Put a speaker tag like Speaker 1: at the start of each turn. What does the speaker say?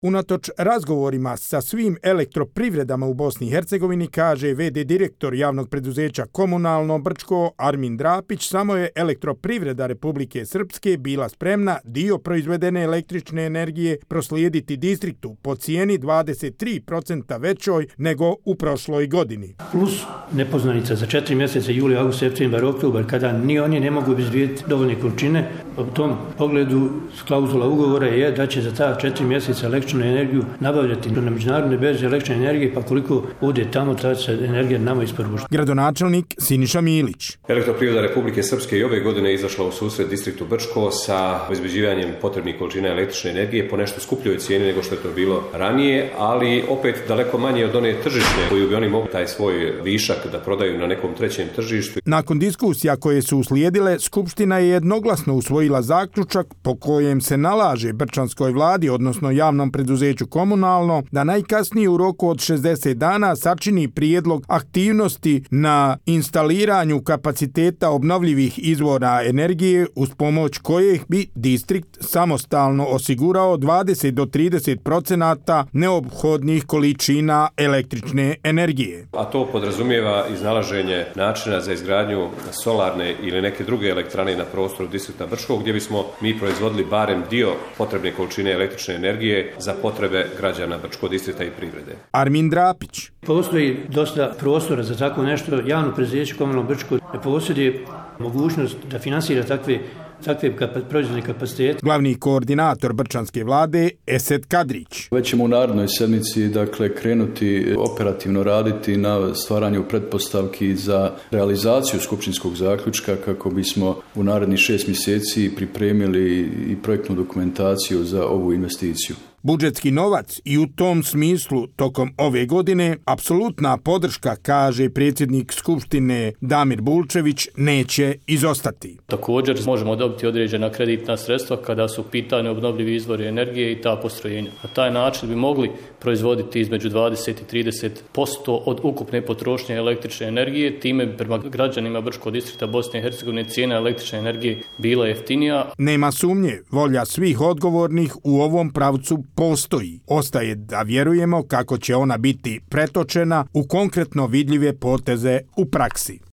Speaker 1: Unatoč razgovorima sa svim elektroprivredama u Bosni i Hercegovini, kaže v.d. direktor javnog preduzeća Komunalno Brčko Armin Drapić, samo je elektroprivreda Republike Srpske bila spremna dio proizvedene električne energije proslijediti distriktu po cijeni 23% većoj nego u prošloj godini.
Speaker 2: Plus nepoznanica za 4 mjeseca, juli, august, septembar, oktobar, kada ni oni ne mogu obezbijediti dovoljne količine. U tom pogledu klauzula ugovora je da će za ta 4 mjeseca električnu energiju nabavljati na međunarodne berze električne energije, pa koliko ode tamo, ta se energija nama isporučuje.
Speaker 1: Gradonačelnik Siniša Milić.
Speaker 3: Elektroprivreda Republike Srpske i ove godine izašla u susret distriktu Brčko sa obezbeđivanjem potrebnih količina električne energije po nešto skupljoj cijeni nego što je to bilo ranije, ali opet daleko manje od one tržišne koju bi oni mogli taj svoj višak da prodaju na nekom trećem tržištu.
Speaker 1: Nakon diskusija koje su uslijedile, Skupština je jednoglasno usvojila zaključak po kojem se nalaže Brčanskoj vladi, odnosno javnom preduzeću Komunalno, da najkasnije u roku od 60 dana sačini prijedlog aktivnosti na instaliranju kapaciteta obnovljivih izvora energije uz pomoć kojih bi distrikt samostalno osigurao 20 do 30% neophodnih količina električne energije.
Speaker 3: A to podrazumijeva iznalaženje načina za izgradnju solarne ili neke druge elektrane na prostoru distrikta Brčkog, gdje bismo mi proizvodili barem dio potrebne količine električne energije za potrebe građana Brčkog distrikta i privrede.
Speaker 1: Armin Drapić.
Speaker 2: Postoji dosta prostora za tako nešto. Javno preduzeće Komunalno Brčko ne posjeduje mogućnost da finansira takve proizvodne kapacitete.
Speaker 1: Glavni koordinator Brčanske vlade Esed Kadrić.
Speaker 4: Već ćemo u narednoj sedmici krenuti operativno raditi na stvaranju pretpostavki za realizaciju skupštinskog zaključka kako bismo u narednih 6 mjeseci pripremili i projektnu dokumentaciju za ovu investiciju.
Speaker 1: Budžetski novac i u tom smislu tokom ove godine apsolutna podrška, kaže predsjednik Skupštine Damir Bulčević, neće izostati.
Speaker 5: Također možemo dobiti određena kreditna sredstva kada su u pitanju obnovljivi izvori energije i ta postrojenja. Na taj način bi mogli proizvoditi između 20 i 30% od ukupne potrošnje električne energije. Time bi prema građanima Brčkog distrikta Bosne i Hercegovine cijena električne energije bila jeftinija.
Speaker 1: Nema sumnje, volja svih odgovornih u ovom pravcu postoji. Ostaje da vjerujemo kako će ona biti pretočena u konkretno vidljive poteze u praksi.